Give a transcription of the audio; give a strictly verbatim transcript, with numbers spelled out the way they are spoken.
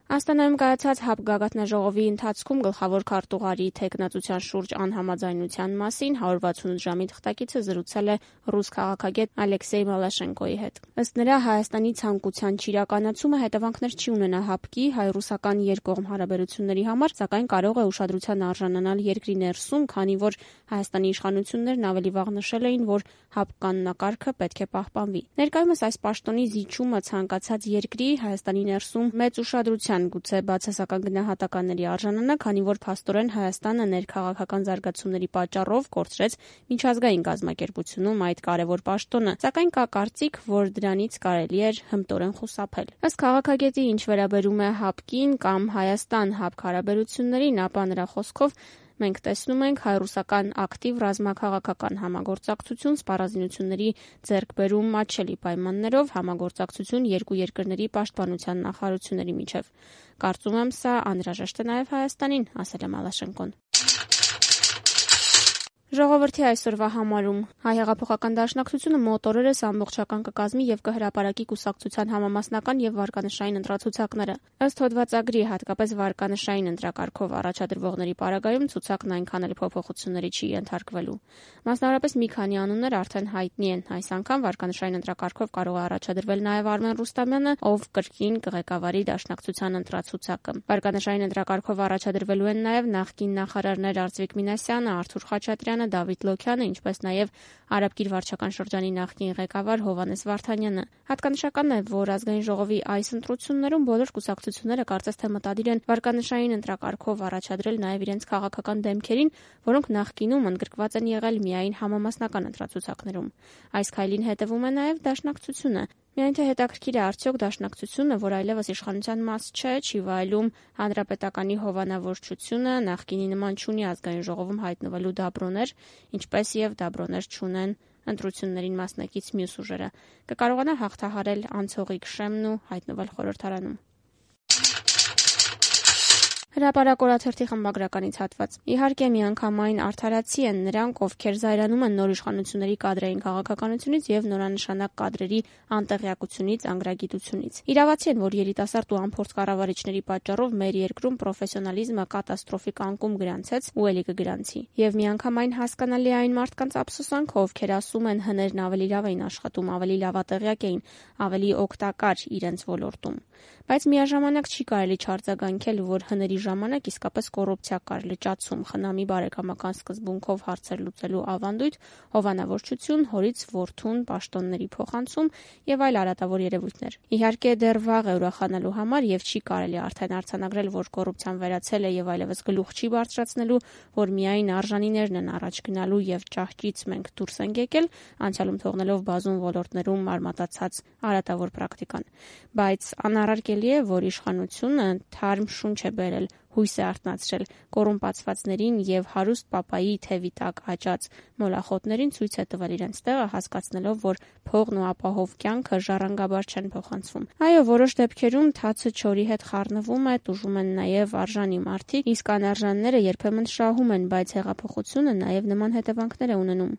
Աստանայում կայացած ՀԱՊԿ գագաթնաժողովի ընթացքում գլխավոր քարտուղարի թեկնածության շուրջ անհամաձայնության մասին հարյուր վաթսունութ ժամի թղթակիցը զրուցել է ռուս քաղաքագետ Ալեքսեյ Բալաշենկոյի հետ։ Ըստ նրա, Հայաստանի ցանկության չիրականացումը հետևանքներ չի ունենա ՀԱՊԿ-ի հայ-ռուսական երկկողմ հարաբերությունների համար, սակայն կարող է ուշադրության արժանանալ երկրի ներսում, քանի որ Հայաստանի իշխանություններն ավելի վաղ նշել էին, որ ՀԱՊԿ կանոնակարգը պետք է պահպանվի։ Ներկայումս այս պաշտոնի զիջումը ցանկացած երկրի Հայաստանի ներսում մեծ ուշադրության, գուցե բացասական գնահատականների արժանանա, քանի որ փաստորեն Հայաստանը ներքաղաքական զարգացումների պատճառով կորցրեց միջազգային կազմակերպությունում այդ կարևոր պաշտոնը, սակայն կա կարծիք, որ դրանից կարելի էր հմտորեն խուսափել։ Ըստ քաղաքագետի, ինչ վերաբերում է ՀԱՊԿ-ին կամ Հայաստան-ՀԱՊԿ հարաբերություններին, ապա նրա խոսքով մենք տեսնում ենք հայ-ռուսական ակտիվ ռազմաքաղաքական համագործակցություն, սպառազինությունների ձեռքբերում մատչելի պայմաններով, համագործակցություն երկու երկրների պաշտպանության նախարարությունների միջև։ Կարծում եմ, սա անհրաժեշտ է նաև Հայաստանին, ասել է Մալաշենկոն։ Ժողովրդի այսօրվա համարում Հայ հեղափոխական դաշնակցությունը մոտ օրերս ամբողջական կկազմի եւ կհրապարակի կուսակցության համամասնական եւ վարկանշային ընտրացուցակները։ Ըստ հոդվածագրի, հատկապես վարկանշային ընտրակարգով առաջադրվողների պարագայում ցուցակն այնքան էլ փոփոխությունների չի ենթարկվելու։ Մասնավորապես մի քանի անուններ արդեն հայտնի են։ Այս անգամ վարկանշային ընտրակարգով կարող է առաջադրվել նաեւ Արմեն Ռուստամյանը, ով կրկին կղեկավարի դաշնակցության ընտրացուցակը։ Վարկանշային ընտրակարգով առաջադրվելու են նաեւ նախկին նախարարներ Արծվիկ Մինասյանը, Արթուր Խաչատրյանը, Դավիթ Լոքյանը, ինչպես նաև Արաբկիր վարչական շրջանի նախկին ղեկավար Հովհաննես Վարդանյանը։ Հատկանշական է, որ ազգային ժողովի այս ընտրություններում բոլոր կուսակցությունները կարծես թե մտադիր են վարկանշային ընտրակարգով առաջադրել նաև իրենց քաղաքական դեմքերին, որոնք նախկինում ընդգրկված են եղել միայն համամասնական ընտրացուցակներում։ Այս քայլին հետևում է նաև դաշնակցությունը։ Միայն թե հետաքրքիր է, արդյոք դաշնակցությունը, որ այլևս իշխանության մաս չէ, չի վայելում հանրապետականի հովանավորչությունը, նախկինի նման չունի ազգային ժողովում հայտնվելու դաբրոներ, ինչպես եւ դաբրոներ չունեն ընտրություններին մասնակից մյուս ուժերը, կկարողանա հաղթահարել անցողիկ շեմն ու հայտնվել խորհրդարանում։ Հրապարակ օրաթերթի խմբագրականից հատված։ Իհարկե, միանգամայն արդարացի են նրանք, ովքեր զայրանում են նոր իշխանությունների կադրային քաղաքականությունից եւ նորանշանակ կադրերի անտեղյակությունից, անգրագիտությունից։ Իրավացի են, որ երիտասարդ ու անփորձ կառավարիչների պատճառով մեր երկրում պրոֆեսիոնալիզմը կատաստրոֆիկ անկում գրանցեց ու ելի կգրանցի։ Եվ միանգամայն հասկանալի է այն մարդկանց ափսոսանքը, ովքեր ասում են հներն ավելի լավ էին աշխատում, ավելի լավատեղյակ էին, ավելի օգտակար իրենց ոլորտում։ Բայց միաժամանակ չի կարելի չարձագանքել, որ հների ժամանակ իսկապես կոռուպցիա կար, լճացում, խնամի բարեկամական սկզբունքով հարցեր լուծելու ավանդույթ, հովանավորչություն, հորից որդուն պաշտոնների փոխանցում եւ այլ արատավոր երևույթներ։ Իհարկե, դեռ վաղ է ուրախանալու համար եւ չի կարելի արդեն արձանագրել, որ կոռուպցիան վերացել է եւ այլևս գլուխ չի բարձրացնելու, որ միայն արժանիներն են առաջ գնալու եւ ճահճից մենք դուրս ենք եկել, անցյալում թողնելով բազում ոլորտներում արմատացած արատավոր պրակտիկան։ Բայց անառարկելի է, որ իշխանությունը թարմ շունչ է բերել, հույս է արթնացրել կոռումպացվածներին եւ հարուստ պապայի թևի տակ աճած մոլախոտներին ցույց է տվել իրենց տեղը, հասկացնելով, որ փողն ու ապահով կյանքը ժառանգաբար չեն փոխանցվում։ Այո, որոշ դեպքերում թացը չորի հետ խառնվում է, տուժում են նաեւ արժանի մարդիկ, իսկ անարժանները երբեմն շահում են, բայց հեղափոխությունը նաեւ նման հետևանքներ է ունենում։